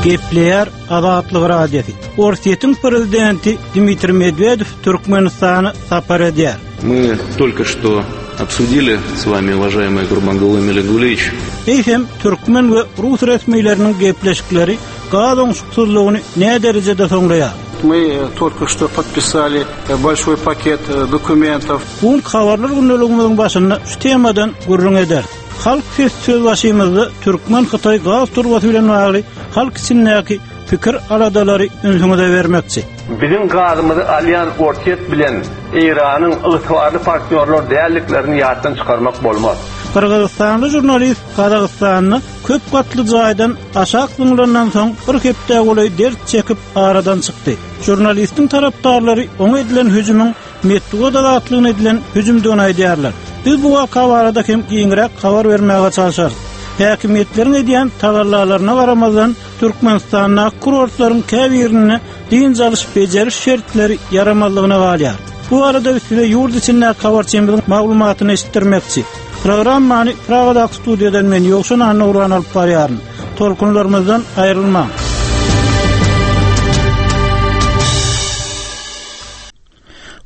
Gepleýär Azatlyk Radiosy. Orsýetiň prezidenti Dmitriý Medwedew Türkmenistana sapar edýär. Мы только что обсудили с вами, уважаемый Гурбангулы Мелигулевич. Eýsem, türkmen we rus resmileriniň gepleşikleri gaz oňşuksyzlygyny näderejede soňlaýar? Мы только что podpisali bolşoý paket dokumentov. Bu günki Habarlar gündeligimiziň başynda şu temadan gürrüň ederis. Halk sesi sözbaşymyzda türkmen-hytaý gaz turbasy bilen bagly halk içindäki pikir-aladalary ünsüňize bermekçi. Biziň gazymyzy alýan Orsýet bilen Eýranyň ygtybarly partnýorlar däldiklerini ýatdan çykarmak bolmaz. Gyrgyzystanly žurnalist Gazagystanda köp gatly jaýdan aşak zyňlandan soň bir hepdä golaý dert çekip aradan çykdy. Žurnalistiň tarapdarlary oňa edilen hüjümiň metbugat azatlygyna edilen hüjümdigini aýdýarlar. Biz bu waka barada hem giňräk habar bermäge çalşarys. Häkimiýetleriň edýän tagallalaryna garamazdan, Türkmenistandaky kurortlaryň käbirinde dynç alyş-bejeriş şertleri ýaramazlygyna galýar. Bu barada biz size ýurt içindäki habarçymyzyň maglumatyny eşitdirmekçi. Programmany Pragadaky studiýadan men Ýowşan Annagurban alyp barýaryn. Tolkunlarymyzdan aýrylmaň!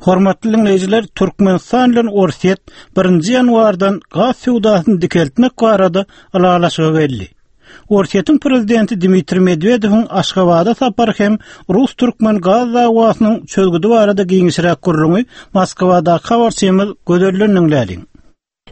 Hormatly diňleýjiler, Türkmenistan bilen Orsýet birinji ýanwardan gaz söwdasyny dikeltmek barada ylalaşyga geldi. Orsýetiň prezidenti Dmitriý Medwedewiň Aşgabada sapary hem rus-türkmen gaz dawasynyň çözgüdi barada giňişräk gürrüňi Moskwadaky habarçymyz Gözelden diňläliň.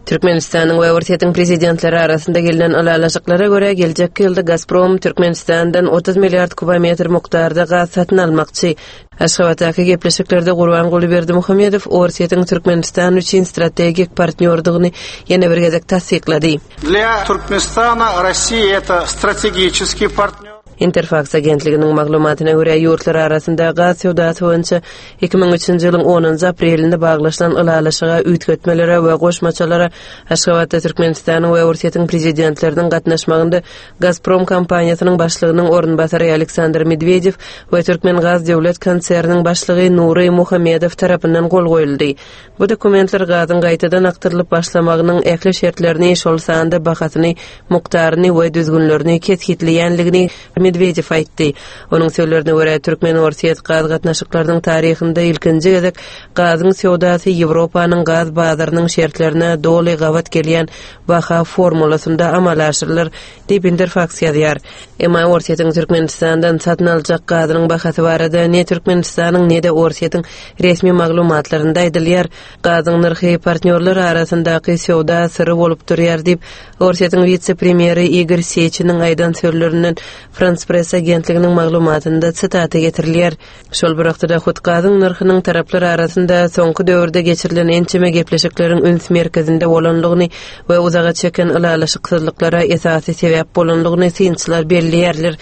Türkmenistanyň we Orsýetiň prezidentleri arasynda gelnen ylalaşyklara görä, geljekki ýylda Gazprom Türkmenistandan 30 milliard kubometr mukdarda gaz satyn almakçy. Aşgabatdaky gepleşiklerde Gurbanguly Berdimuhamedow Orsýetiň Türkmenistan üçin strategik partnýordygyny ýene bir gezek tassyklady. Dlýa Türkmenistana Rossiýa eto strategiçeskiý partnýor. Interfaks agentliginiň maglumatyna görä, ýurtlar arasynda gaz söwdasy boýunça 2003-nji ýylyň onunjy aprelinde baglaşylan ylalaşyga üýtgetmelere we goşmaçalara Aşgabatda Türkmenistanyň we Orsýetiň Prezidentleriniň gatnaşmagynda Gazprom kompaniýasynyň başlygynyň orunbasary Aleksandr Medwedew we Türkmengaz döwlet konserniniň başlygy Nury Muhammedow tarapyndan gol goýuldy. Bu dokumentler gazyň gaýtadan akdyrylyp başlamagynyň ähli şertlerini, şol sanda bahasyny, mukdaryny we düzgünlerini kesgitleýändigini Medwedew aýtdy. Onuň sözlerine görä, türkmen-orsýet gaz gatnaşyklarynyň taryhynda ilkinji gezek gazyň söwdasy Ýewropanyň gaz bazarynyň şertlerine doly gabat gelýän baha formulasynda amala aşyrylar diýip, Interfaks ýazýar. Emma Orsýetiň Türkmenistandan satyn aljak gazynyň bahasy barada ne Türkmenistanyň, ne-de Orsýetiň resmi maglumatlarynda aýdylýar. Gazyň nyrhy partnýorlar arasyndaky söwda syry bolup durýar diýip, Orsýetiň wise-premýeri Igor Seçiniň aýdan sözlerinden Frans Press agentliginiň maglumatynda sitata getirilýär. Şol bir wagtda-da hut gazyň nyrhynyň taraplar arasynda soňky döwürde geçirilen ençeme gepleşikleriň üns merkezinde bolandygyny we uzaga çeken ylalaşyksyzlyklara esasy sebäp bolandygyny synçylar belleýärler.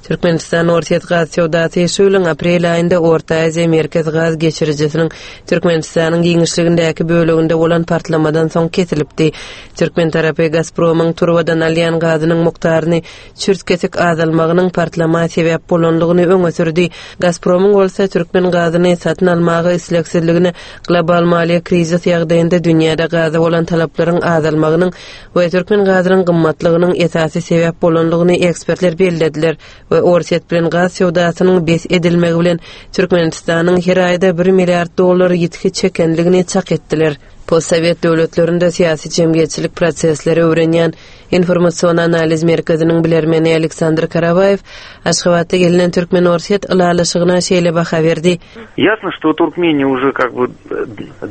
Türkmenistan-Orsýet gaz söwdasy şu ýylyň aprel aýynda Orta Aziýa Merkez gaz geçirijisiniň Türkmenistanyň giňişligindäki böleginde bolan partlamadan soň kesilipdi. Türkmen tarapy Gazpromyň turbadan alýan gazynyň mukdaryny çürt-kesik azalmagynyň partlama sebäp bolandygyny öňe sürdi. Gazpromyň bolsa türkmen gazyny satyn almaga islegsizligine global maliýe krizis ýagdaýynda dünýäde gaza bolan talaplaryň azalmagynyň we türkmen gazynyň gymmatlygynyň esasy sebäp bolandygyny ekspertler bellediler we Orsýet bilen gaz söwdasynyň bes edilmegi bilen Türkmenistanyň her aýda bir milliard dollar ýitgi çekendigini çak etdiler. Postsowet döwletlerinde syýasy-jemgyýetçilik prosesleri öwrenýän Informasion analiz merkeziniň bilermeni Aleksandr Karawaýew Aşgabatda gelnen türkmen-orsýet ylalaşygyna şeýle baha berdi. Ýasno, şto Turkmeniýa uje kak by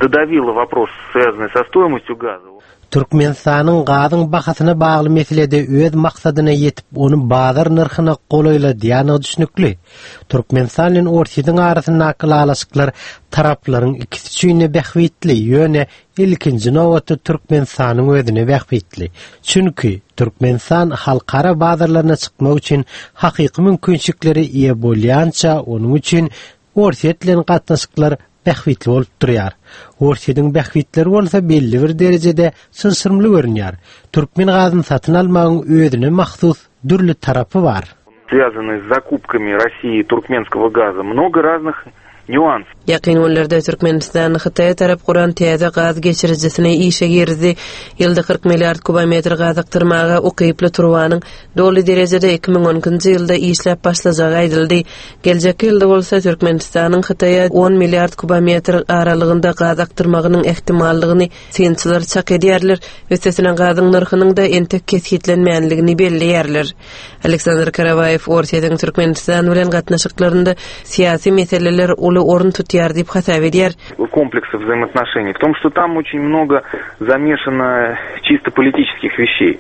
dodawila wopros, swýazanyý so stoýmostýu gaza. Türkmenistanyň gazyň bahasyna bagly meselede öz maksadyna ýetip, ony bazar nyrhyna golaýladýandygy düşnükli. Türkmenistan bilen Orsýetiň arasyndaky ylalaşyklar taraplaryň ikisi üçin-de bähbitli, ýöne ilkinji nobatda Türkmenistanyň özüne bähbitli. Çünki, Türkmenistan halkara bazarlaryna çykmak üçin hakyky mümkinçiliklere eýe bolýança, onuň üçin Orsýet bilen gatnaşyklar bähbitli bolup durýar. Orsýetiň bähbitleri bolsa belli bir derejede çylşyrymly görünýär. Türkmen gazyny satyn almagyň özüne mahsus dürli tarapy bar. Связанные с закупками России туркменского газа много разных. Нюанс. Ýakyn günlerde Türkmenistan Hytaýa tarap guran täze gaz geçirijisini işe girizdi. Ýylda 40 milliard kubometr gaz akdyrmaga ukyply turbanyň doly derejede 2012-nji ýylda işläp başlajagy aýdyldy. Geljekki ýylda bolsa Türkmenistanyň Hytaýa on milliard kubometr aralygynda gaz akdyrmagynyň ähtimallygyny synçylar çak edýärler, üstesine gazyň nyrhynyň-da entek kesgitlenmänligini belleýärler. Aleksandr Karawaýew Orsýetiň Türkmenistan bilen gatnaşyklarynda syýasy meseleler uly orun tutýar diýip hasap edýär. Kompleksa wzaimootnoşeniý w tom, şto tam oçin mnogo zamešano çisto politiçeskih weşeý.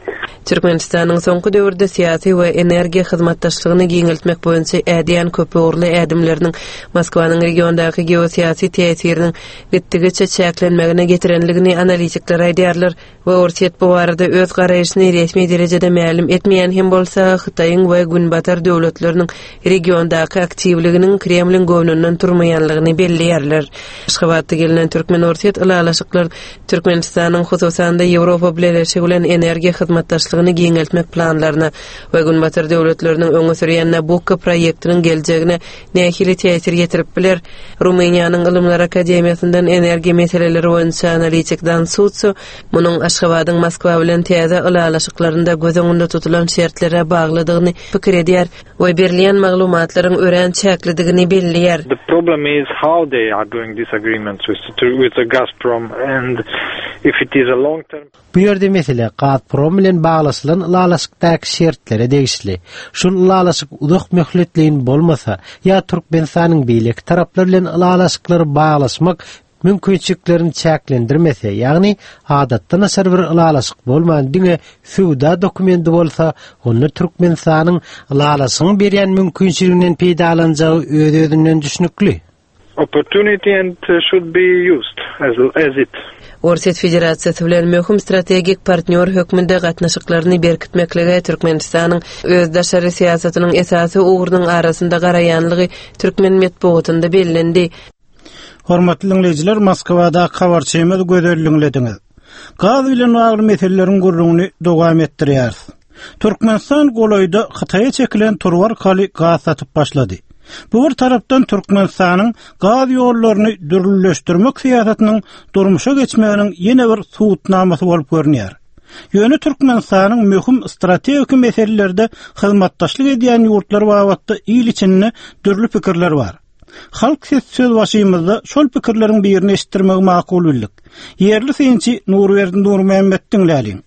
Türkmenistanyň soňky döwürde syýasy we energiýa hyzmatdaşlygyny giňeltmek boýunça ädýän köpugurly ädimleriniň Moskwanyň regiondaky geosyýasy täsiriniň gitdigiçe çäklenmegine getirenligini analitikler aýdýarlar we Orsýet bu barada öz garaýşyny resmi derejede mälim etmeýän hem bolsa, Hytaýyň we Günbatar döwletleriniň regiondaky aktiwliginiň Kremliň göwnünden turmaýanlygyny belleýärler. Aşgabatda gelnen türkmen-orsýet ylalaşyklar Türkmenistanyň, hususan-da, Ýewropa Bileleşigi bilen energiýa hyzmatdaşlygyny giňeltmek planlaryna we Günbatar döwletleriniň öňe sürýän Nabukko proýektiniň geljegine nähili täsir ýetirip biler? Rumyniýanyň Ylymlar akademiýasyndan energiýa meseleleri boýunça analitik Dan Sutsu munuň Aşgabadyň Moskwa bilen täze ylalaşyklarynda göz öňünde tutulan şertlere baglydygyny pikir edýär we berilýän maglumatlaryň örän çäklidigini belleýär. The problem is how they are doing these agreements with with the Gazprom and if it is a long term Bu ýerde mesele Gazprom bilen baglaşylan ylalaşykdaky şertlere degişli. Şol ylalaşyk uzak möhletleýin bolmasa ýa Türkmenistanyň beýleki taraplar bilen ylalaşyklary baglaşmak mümkinçiliklerini çäklendirmese, ýagny adatdan daşary bir ylalaşyk bolman diňe söwda dokumendi bolsa, onda Türkmenistanyň ylalaşygyň berýän mümkinçiliginden peýdalanjagy öz-özünden düşnükli. Opportunity and should be used as as it. Orsýet Federasiýasy bilen möhüm strategik partnýor hökmünde gatnaşyklaryny berkitmeklige Türkmenistanyň öz daşary syýasatynyň esasy ugrunyň arasynda garaýanlygy türkmen metbugatynda bellendi. Hormatly diňleýjiler, Moskwadaky habarçymyz Gözel diňlediňiz. Gaz bilen bagly meseleleriň gürrüňini dowam etdirýäris. Türkmenistan golaýda Hytaýa çekilen turba arkaly gaz satyp başlady. Bu bir tarapdan Türkmenistanyň gaz ýollaryny dürlüleşdirmek syýasatynyň durmuşa geçmeginiň ýene bir subutnamasy bolup görünýär. Ýöne Türkmenistanyň möhüm strategik meselelerde hyzmatdaşlyk edýän ýurtlar babatda il içinde dürli pikirler bar. Halk sesi sözbaşymyzda şol pikirleriň birini eşitdirmegi makul bildik. Ýerli synçy Nurberdi Nurmämmet diňläliň.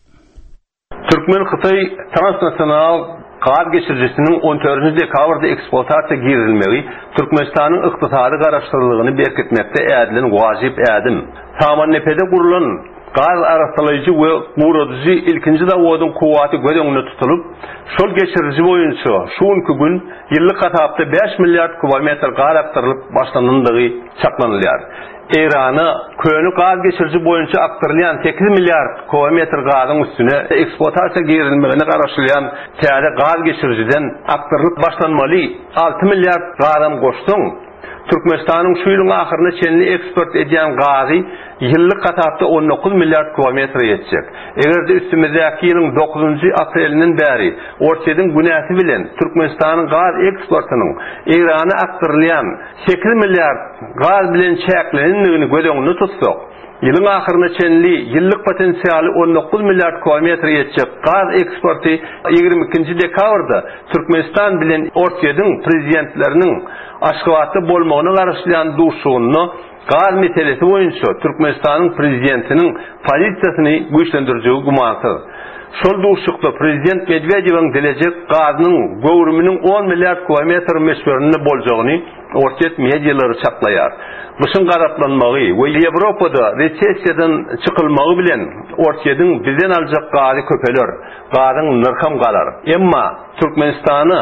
Türkmen-hytaý transnasional gaz geçirijisiniň on dördünji dekabrda ekspluatasiýa girizilmegi Türkmenistanyň ykdysady garaşsyzlygyny berkitmekde ädilen wajyp ädim. Samannepede gurlan gaz arassalaýjy we guradyjy ilkinji zawodyň kuwwaty göz öňünde tutulyp, şol geçiriji boýunça şu günki gün ýyllyk hasapda bäş milliard kubometr gaz akdyrylyp başlanandygy çaklanylýar. Eýrana köne gaz geçiriji boýunça akdyrylýan sekiz milliard kubometr gazyň üstüne ekspluatasiýa girizilmegine garaşylýan täze gaz geçirijiden akdyrylyp başlanmaly alty milliard gazam goşsaň, Türkmenistanyň şu ýylyň ahyryna çenli eksport edýän gazy ýyllyk hasapda 19 milliard kubometre ýetjek. Eger-de üstümizdäki ýylyň dokuzynjy aprelinden bäri Orsýetiň günäsi bilen Türkmenistanyň gaz eksportynyň Eýrana akdyrylýan sekiz milliard gaz bilen çäklenendigini göz öňünde tutsak, Ýylyň ahyryna çenli ýyllyk potensialy 19 milliard kubometre ýetjek gaz eksporty 22-nji dekabrda Türkmenistan bilen Orsýetiň prezidentleriniň Aşgabatda bolmagyna garaşylýan duşuşygynda gaz meselesi boýunça Türkmenistanyň prezidentiniň pozisiýasyny güýçlendirjegi gümansyz. Şol duşuşykda prezident Medwedewiň dilejek gazynyň göwrüminiň on milliard kubometr möçberinde boljagyny Orsýet medialary çaklaýar. Gyşyň gazaplanmagy we Ýewropada resessiýadan çykylmagy bilen Orsýetiň bizden aljak gazy köpeler, gazyň nyrham galar. Emma Türkmenistana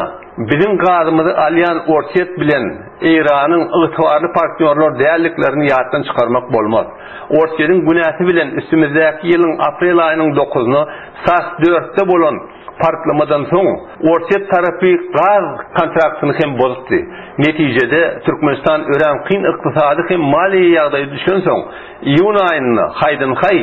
biziň gazymyzy alýan Orsýet bilen Eýranyň ygtybarly partnýorlar däldiklerini ýatdan çykarmak bolmaz. Orsýetiň günäsi bilen üstümizdäki ýylyň aprel aýynyň dokuzyna sas dörtde bolan Partlamadan soň, Orsýet tarapy gaz kontraktyny hem bozupdy. Netijede, Türkmenistan örän kyn ykdysady hem maliýe ýagdaýa düşensoň, iýun aýynda haýdan-haý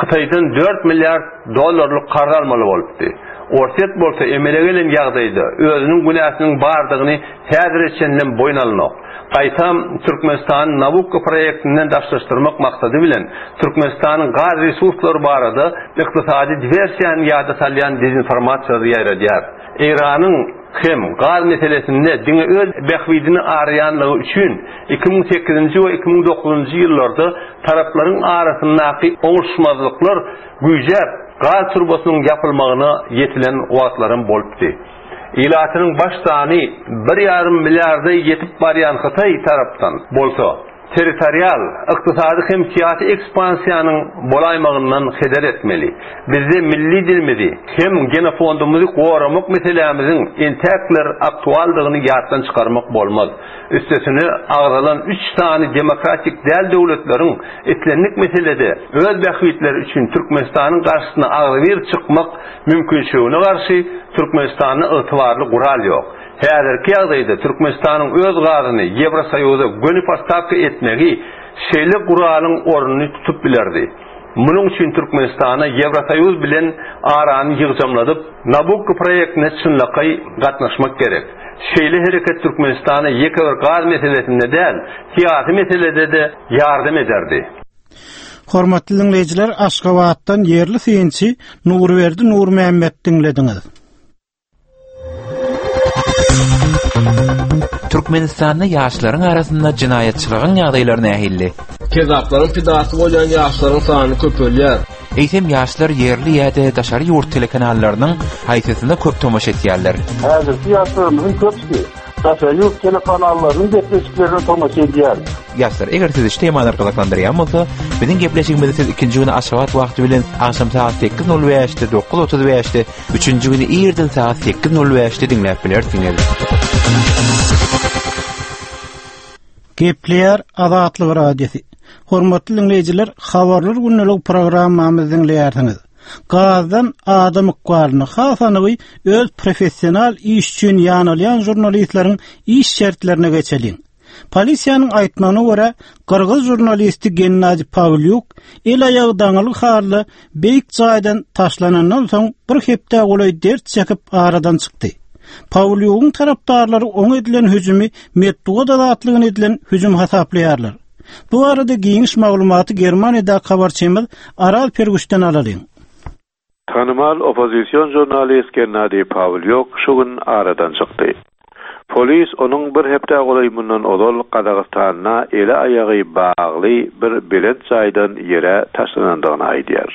Hytaýdan dört milliard dollarlyk karz almaly bolupdy. Orsýet bolsa emele gelen ýagdaýda özüniň günäsiniň bardygyny häzire çenlem boýun alnok. Gaýtam, Türkmenistany Nabukko proýektinden daşlaşdyrmak maksady bilen, Türkmenistanyň gaz resurslary barada ykdysady diwersiýany ýada salýan dezinformasiýalary ýaýradýar. Eýranyň hem gaz meselesinde diňe öz bähbidini araýanlygy üçin 2008-nji we 2009-njy ýyllarda taraplaryň arasyndaky oňuşmazlyklar güýjäp, gaz turbasynyň ýapylmagyna ýetilen wagtlaram bolupdy. Ilatynyň baş sany bir ýarym milliarda ýetip barýan Hytaý tarapdan bolsa, territorial, ykdysady hem syýasy ekspansiýanyň bolaýmagyndan heder etmeli. Bizde milli dilimizi hem genofondumyzy goramak meselämiziň entäkler aktualdygyny ýatdan çykarmak bolmaz. Üstesine, agzalan üç sany demokratik däl döwletleriň islendik meselede öz bähbitleri üçin Türkmenistanyň garşysyna agzybir çykmak mümkinçiligine garşy Türkmenistanda ygtybarly gural ýok. Häzirki ýagdaýda Türkmenistanyň öz gazyny Ýewrosoýuza göni postawka etmegi şeýle guralyň ornuny tutup bilerdi. Munuň üçin Türkmenistana Ýewrosoýuz bilen arany ýygjamladyp, Nabukko proýektine çynlakaý gatnaşmak gerek. Şeýle hereket Türkmenistana ýeke bir gaz meselesinde däl, syýasy meselede-de ýardam ederdi. Hormatly diňleýjiler, Aşgabatdan ýerli synçy Nurberdi Nurmämmet diňlediňiz. Türkmenistanda ýaşlaryň arasynda jenaýatçylygyň ýagdaýlary nähili? Kezaplaryň pidasy bolýan ýaşlaryň sany köpelýär. Eýsem ýaşlar ýerli ýa-da daşary ýurt telekanallarynyň haýsysyna köp tomaşa etýärler? Häzirki ýaşlarymyzyň köpüsi daşary ýurt telekanallarynyň gepleşiklerine tomaşa edýär. Ýaşlar, eger sizi şu temalar gyzyklandyrýan bolsa, biziň gepleşigimizi siz ikinji güni Aşgabat wagty bilen agşam sagat 8:05-de, 9:35-de, üçünji güni irden sagat 8:05-de diňläp bilersiňiz. Gepleýär Azatlyk Radiosy. Hormatly diňleýjiler, Habarlar gündelik programmamyzy diňleýärsiňiz. Gazdan adam ykbalyny, has anygy öz professional iş üçin ýanalýan žurnalistleriň iş şertlerine geçeliň. Polisiýanyň aýtmagyna görä, gyrgyz žurnalisti Gennadiý Pawlýuk el-aýagy daňylgy halda beýik jaýdan taşlanandan soň bir hepdä golaý dert çekip aradan çykdy. Pawlýugyň tarapdarlary oňa edilen hüjümi metbugat azatlygyna edilen hüjüm hasaplaýarlar. Bu barada giňiş maglumaty Germaniýadaky habarçymyz Araz Perguşdan alalyň. Tanymal oppozision žurnalist Gennadiý Pawlýuk şu gün aradan çykdy. Polis onuň bir hepdä golaý mundan ozal Gazagystanda eli-aýagy bagly bir belent jaýdan ýere taşlanandygyny aýdýar.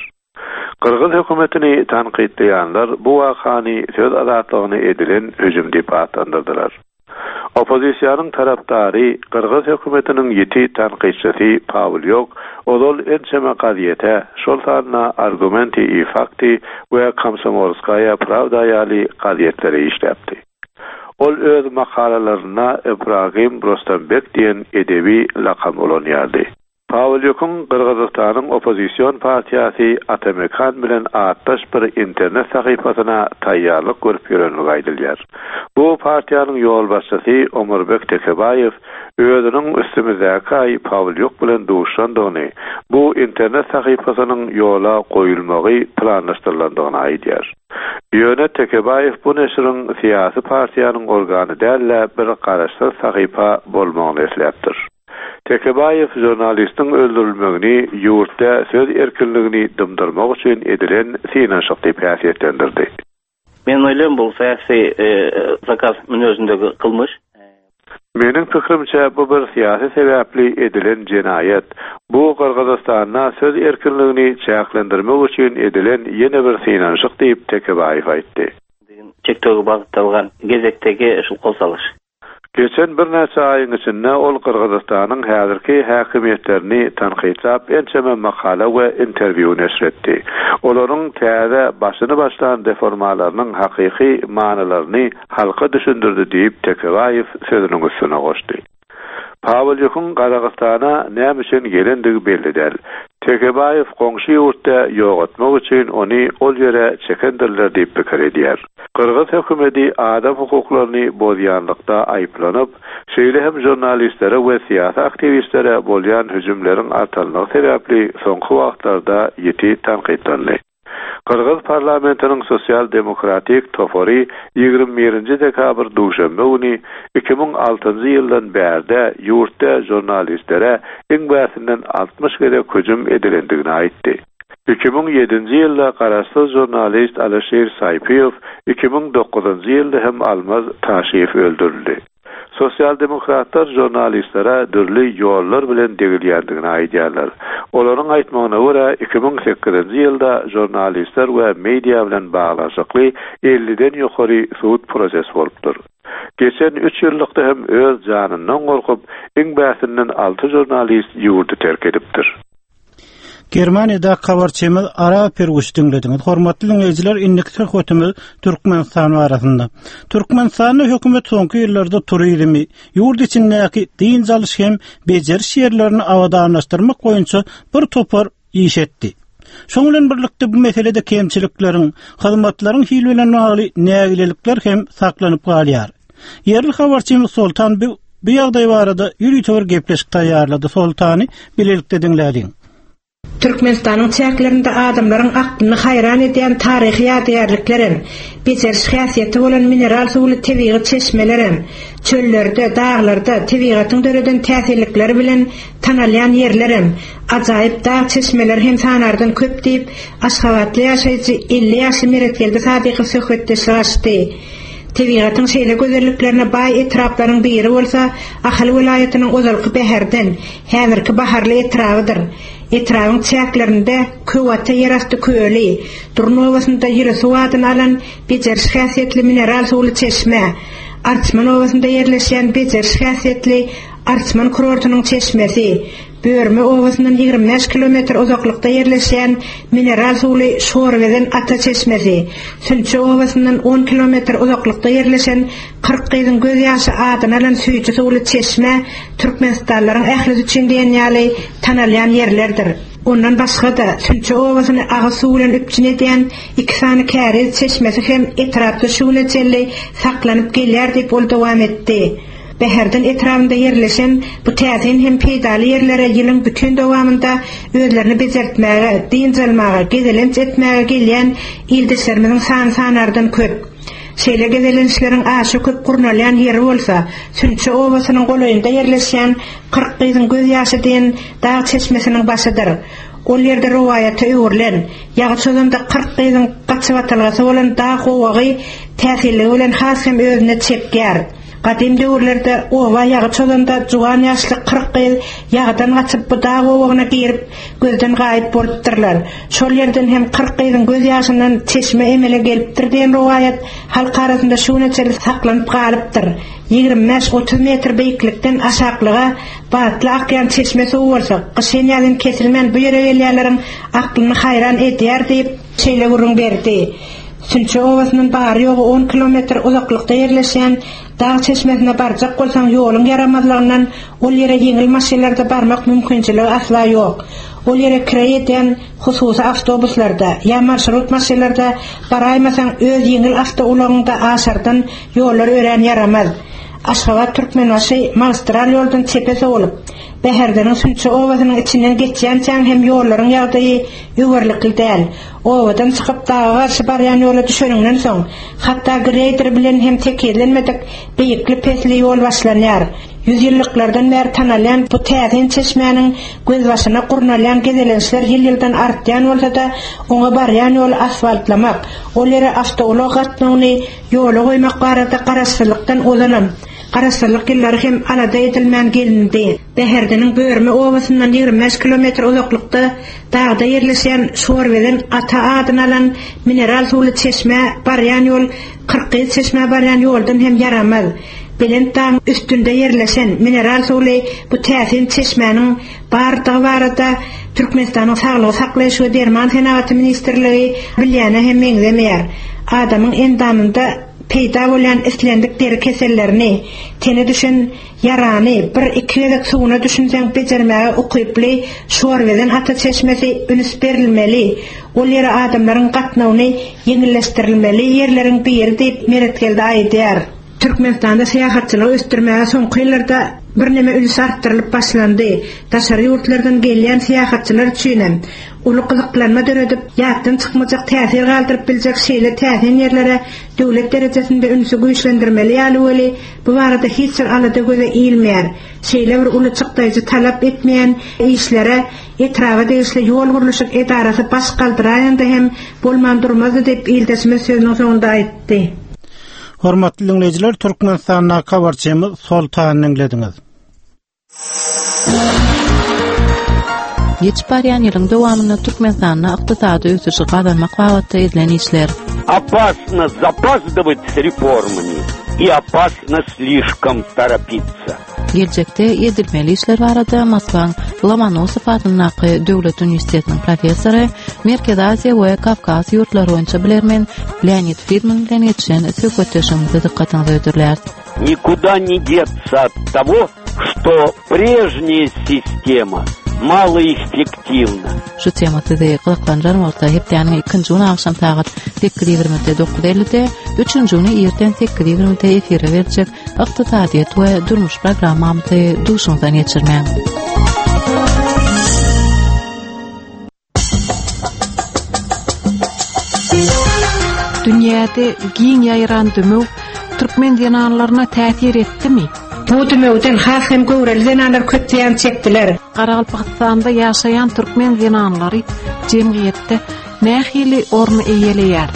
Gyrgyz hökümetini tankytlaýanlar bu wakany söz azatlygyna edilen hüjüm diýip atlandyrdylar. Oppozisiýanyň tarapdary, gyrgyz hökümetiniň ýiti tankytçysy Pawlýok ozal ençeme gazýete, şol sanda Argumenty i fakty we Komsomolskaýa prawda ýaly gazýetlere işläpdi. Ol öz makalalarynda Ibragim Rostambek diýen edebi lakam ulanýardy. Pawlýukyň Gyrgyzystanyň oppozision partiýasy Ata-Mekan bilen atdaş bir internet sahypasyna taýýarlyk görüp ýörenligi aýdylýar. Bu partiýanyň ýolbaşçysy Omurbek Tekebaýew özüniň üstümizdäki aý Pawlýuk bilen duşandygyny, bu internet sahypasynyň ýola goýulmagy planlaşdyrylandygyny aýdýar. Ýöne Tekebaýew bu neşiriň syýasy partiýanyň organy däl-de, bir garaşsyz sahypa bolmagyny isläpdir. Tekebaýew žurnalistiň öldürilmegini ýurtda söz erkinligini dymdyrmak üçin edilen synanyşyk diýip häsiýetlendirdi. Men oýlaýan bul syýasy zakaz münezindegi kylmyş. Meniň pikirimçe bu bir syýasy sebäpli edilen jenaýat. Bu Gyrgyzystanda söz erkinligini çäklendirmek üçin edilen ýene bir synanyşyk diýip Tekebaýew aýtdy. Çekdögi bagytdalgan gezektegi şul kol salyş. Geçen birnäçe aýyň içinde ol Gyrgyzystanyň häzirki häkimiýetlerini tankytlap ençeme makala we interwýu neşir etdi. Olaryň täze başyny başlan reformalarynyň hakyky manylaryny halka düşündirdi diýip, Tekebaýew sözüniň üstüne goşdy. Pawlýukyň Gazagystana näme üçin gelendigi belli däl. Tekebaýew goňşy ýurtda ýogatmak üçin ony ol ýere çekendirler diýip pikir edýär. Gyrgyz hökümeti adam hukuklaryny bozýanlykda aýyplanyp, şeýle hem žurnalistlere we syýasy aktiwistlere bolýan hüjümleriň artanlygy sebäpli soňky wagtlarda ýiti tankytlandy. Gyrgyz parlamentiniň Sosial-demokratik topary 21-nji dekabr duşenbe güni 2006-njy ýyldan bärde ýurtda žurnalistlere iň bärsinden 60 gezek hüjüm edilendigini aýtdy. 2007-nji ýylda garaşsyz žurnalist Alyşir Saýpyýew, 2009-njy ýylda hem Almaz Taşiýew öldürildi. Sosial-demokratlar žurnalistlere dürli ýollar bilen degilýändigini aýdýarlar. Olaryň aýtmagyna görä, 2008-nji ýylda žurnalistler we media bilen baglanyşykly elliden ýokary sud prosesi bolupdyr. Geçen üç ýyllykda hem öz janyndan gorkup, iň bärsinden alty žurnalist ýurdy terk edipdir. Germaniýadaky habarçymyz Ara Pirguş diňlediňiz. Hormatly diňleýjiler, indiki söhbetimiz Türkmenistan barasynda. Türkmenistanda hökümet soňky ýyllarda turizmi, ýurt içindäki dynç alyş hem bejeriş ýerlerini abadanlaşdyrmak boýunça bir topar iş etdi. Şonuň bilen birlikde bu meselede kemçilikleriň, hyzmatlaryň hili bilen bagly nägilelikler hem saklanyp galýar. Ýerli habarçymyz Soltan bu bu ýagdaý barada ýörite bir gepleşik taýýarlady. Soltany bilelikde diňläliň. Türkmenistanyň çäklerinde adamlaryň aklyny haýran edýän taryhy ýadygärliklerem, bejeriş häsiýeti bolan mineral suwly tebigy çeşmelerem, çöllerde, daglarda tebigatyň döreden täsinlikleri bilen tanalýan ýerlerem, ajaýyp dag çeşmeleri hem sanardan köp diýip, aşgabatly ýaşaýjy 50 ýaşly Meretgeldi Sadykow söhbetdeşlik açdy. Tebigatyň şeýle gözelliklerine baý etraplaryň biri bolsa Ahal welaýatynyň ozalky Bäherden, häzirki Baharly etrabydyr. Etrabyň çäklerinde Köwata ýerasty köli, Durun obasynda Ýyly suw adyny alan bejeriş häsiýetli mineral suwly çeşme, Arçman obasynda ýerleşýän bejeriş häsiýetli Arçman kurortynyň çeşmesi, Börme obasyndan 25 kilometr uzaklykda ýerleşýän mineral suwly Şorbezen ata çeşmesi, Sünçe obasyndan 10 kilometr uzaklykda ýerleşen 40 gyzyň göz ýaşy adyny alan süýji suwly çeşme türkmenistanlylaryň ählisi üçin diýen ýaly tanalýan ýerlerdir. Ondan başga-da, Sünçe obasyny agyz suw bilen üpjün edýän iki sany käriz çeşmesi hem etrapda şu güne çenli saklanyp gelýär diýip ol dowam etdi. Bäherden etrabynda ýerleşen bu täsin hem peýdaly ýerlere ýylyň bütin dowamynda özlerini bejertmäge, dynç almaga, gezelenç etmäge gelýän ildeşlerimiziň sany sanardan köp. Şeýle gezelençleriň aşa köp gurnalýan ýeri bolsa, Sünçe obasynyň golaýynda ýerleşýän 40 gyzyň göz ýaşy diýen dag çeşmesiniň başydyr. Ol ýerde rowaýata öwrülen, ýagy çozanda 40 gyzyň gaçybatalgasy bolan dag gowagy täsinligi bilen has hem özüne çekýär. Gadym döwürlerde oba ýagy çozanda juwan ýaşly 40 gyz ýagydan gaçyp bu dag gowagyna girip, gözden gaýyp bolupdyrlar. Şol ýerden hem 40 gyzyň göz ýaşyndan çeşme emele gelipdir diýen rowaýat halk arasynda şu güne çenli saklanyp galypdyr. 25-30 metr beýiklikden aşaklyga batly akýan çeşme suwy bolsa, gyşyn-ýazyn kesilmän bu ýere gelýänleriň aklyny haýran edýär diýip, şeýle gürrüň berdi. Sünçe obasyndan bary-ýogy on kilometr uzaklykda ýerleşýän dag çeşmesine barjak bolsaň ýoluň ýaramazlygyndan ol ýere ýeňil maşynlarda barmak mümkinçiligi asla ýok. Ol ýere kireý edýän hususy awtobuslarda ýa marşrut maşynlarda baraýmasaň öz ýeňil awtoulagyňda aşardan ýollar örän ýaramaz. Aşgabat-Türkmenbaşy magistral ýoldan çepe sowulyp, Bäherdeniň Sünçe obasynyň içinden geçýänçäň hem ýollaryň ýagdaýy öwerlikli däl. Obadan çykyp daga garşy barýan ýola düşeniňden soň, hatda greýder bilen hem tekizlenmedik beýikli-pesli ýol başlanýar. Ýüzýyllyklardan bäri tanalýan bu täsin çeşmäniň gözbaşyna gurnalýan gezelençler ýyl-ýyldan artýan bolsa-da, oňa barýan ýoly asfaltlamak, ol ýere awtoulag gatnawyny ýola goýmak barada garaşsyzlykdan ozalam, garaşsyzlyk ýyllary hem alada edilmän gelindi. Bäherdeniň Börme obasyndan 25 kilometr uzaklykda dagda ýerleşýän Şorbezen ata adyny alan mineral suwly çeşmä barýan ýol Kyrkgyz çeşmä barýan ýoldan hem ýaramaz. Belent dagyň üstünde ýerleşen mineral suwly bu täsin çeşmäniň bardygy barada Türkmenistanyň Saglygy saklaýyş we derman senagaty ministrligi bilýäne hem meňzemeýär. Adamyň endamynda peýda bolýan islendik deri kesellerini, tene düşen Ýarany bir-iki gezek suwuna düşünseň bejermäge ukyply Şorbezen ata çeşmesi üns berilmeli, ol ýere adamlaryň gatnawyny ýeňilleşdirilmeli ýerleriň biri diýip Meretgeldi aýdýar. Türkmenistanda syýahatçylygy ösdürmäge soňky ýyllarda birneme üns artdyrylyp başlandy. Daşary ýurtlardan gelýän syýahatçylar üçinem uly gyzyklanma döredip, ýatdan çykmajak täsir galdyryp biljek şeýle täsin ýerlere döwlet derejesinde ünsi güýçlendirmeli ýaly weli, bu barada hiç bir alada göze ilmeýär. Şeýle bir uly çykdaýjy talap etmeýän işlere etraba degişli ýol gurluşyk edarasy baş galdyraýanda hem bolman durmazdy diýip, ildeşimiz sözüniň soňunda aýtdy. Hormatly diňleýjiler, Türkmenistandaky habarçymyz Soltany diňlediňiz. Geçip barýan ýylyň dowamynda Türkmenistanda ykdysady ösüşi gazanmak babatda edilen işler. Опасно запаздывать с реформами и опасно слишком торопиться. Geljekde edilmeli işler barada Moskwaň Lomonosow adyndaky döwlet uniwersitetiniň professory, Merkezi Aziýa we Kawkaz ýurtlary boýunça bilermen Leonid Fridman bilen geçiren söhbetdeşligimizi dykgatyňyza hödürläris. Никуда не деться от того, что прежняя система малоэффективна. Şu tema sizi gyzyklandyran bolsa, hepdäniň ikinji güni agşam sagat 8:20-de 9:50-de, üçünji güni irden 8:20-de efire berjek Ykdysadyýet we durmuş programmamyzy duşuňyzdan geçirmäň. Dünýäde giň ýaýran dümew türkmen zenanlaryna täsir etdimi? Bu dümewden has hem göwreli zenanlar köp zyýan çekdiler. Garagalpagystanda ýaşaýan türkmen zenanlary jemgyýetde nähili orny eýeleýär?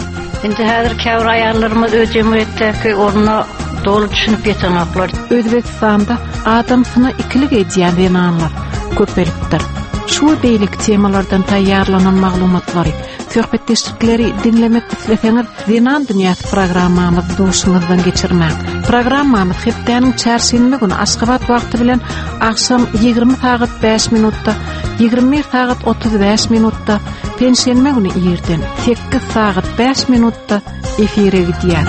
Indi häzir käbir aýallarymyz öz jemgyýetdäki ornuna doly düşünip ýetenoklar. Özbegistanda adamsyna ikilik edýän zenanlar köpelipdir. Şu we beýleki temalardan taýýarlanan maglumatlary, söhbetdeşlikleri diňlemek isleseňiz, Zenan dünýäsi programmamyzy duşuňyzdan geçirmäň. Programmamyz hepdäniň çarşenbe güni Aşgabat wagty bilen agşam 20 sagat 5 minutda, 21 sagat 35 minutda, penşenbe güni irden 8 sagat 5 minutda efire gidýär.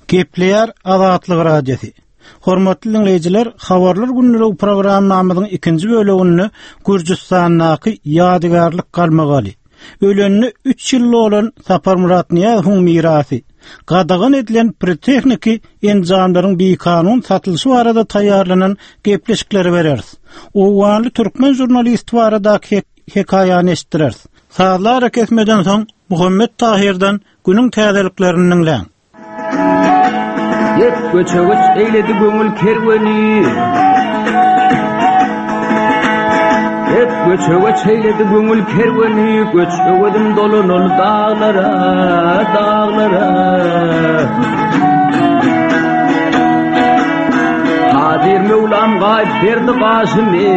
Gepleýär Azatlyk Radiosy. Hormatly diňleýjiler, Habarlar gündeligi programmamyzyň ikinji böleginde Gürjüstandaky ýadygärlik galmagaly, ölenine üç ýyl dolan Saparmyrat Nyýazowyň mirasy, gadagan edilen pirotechniki enjamlaryň bikanun satylyşy barada taýýarlanan gepleşikleri bereris. Owganly türkmen žurnalisti baradaky hekaýany eşitdireris. Sazly arakesmeden soň Muhammet Tahyrdan günüň täzeliklerini diňläň. Hep göçe-göç eýledi köňül kerweni. Hep göçe-göç eýledi köňül kerweni, Göç öwezim dolanaly daglara, daglara. Kadyr Möwlam gaýyp berdi gaşymy,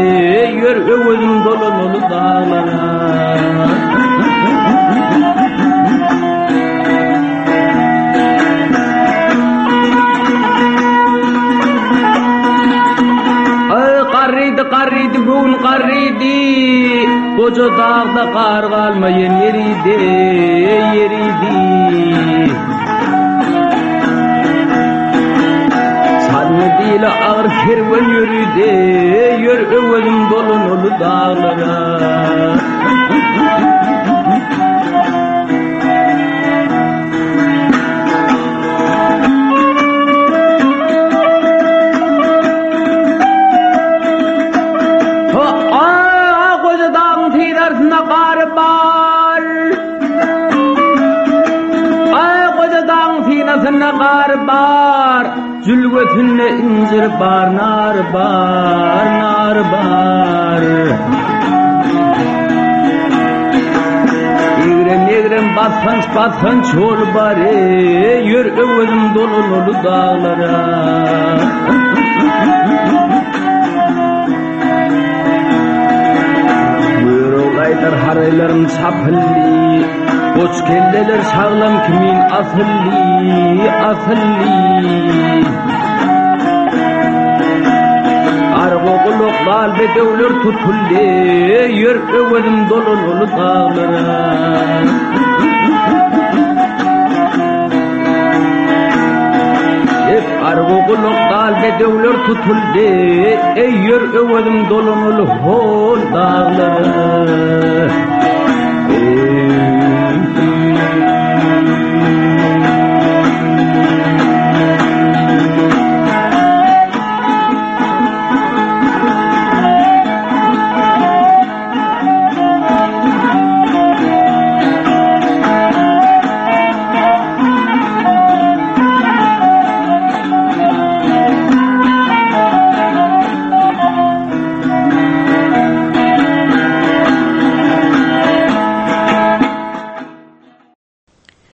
Ýör öwezim dolanaly daglara. Garrydy, garrydy, göwün garrydy. Goja dagda gar galmaýan ýeridi, ýeridi. Sanly dile agyr kerwen ýöridi, ýör öwezim dolanaly daglara. Jülgesinde injir bar, nar bar, nar bar. Egrem-egrem basganç-basganç ýol bar, Ýör öwezim dolanaly daglara. Görogly aýdar haraýlarym çapyldy, Goç kelleler şaglam kimin asyldy, asyldy. Argo gulak dal bedewler tutuldy, Ýör öwezim dolanaly daglara. Hep argo gulak dal bedewler tutuldy, Eý ýör öwezim dolanaly hol daglara. Eý.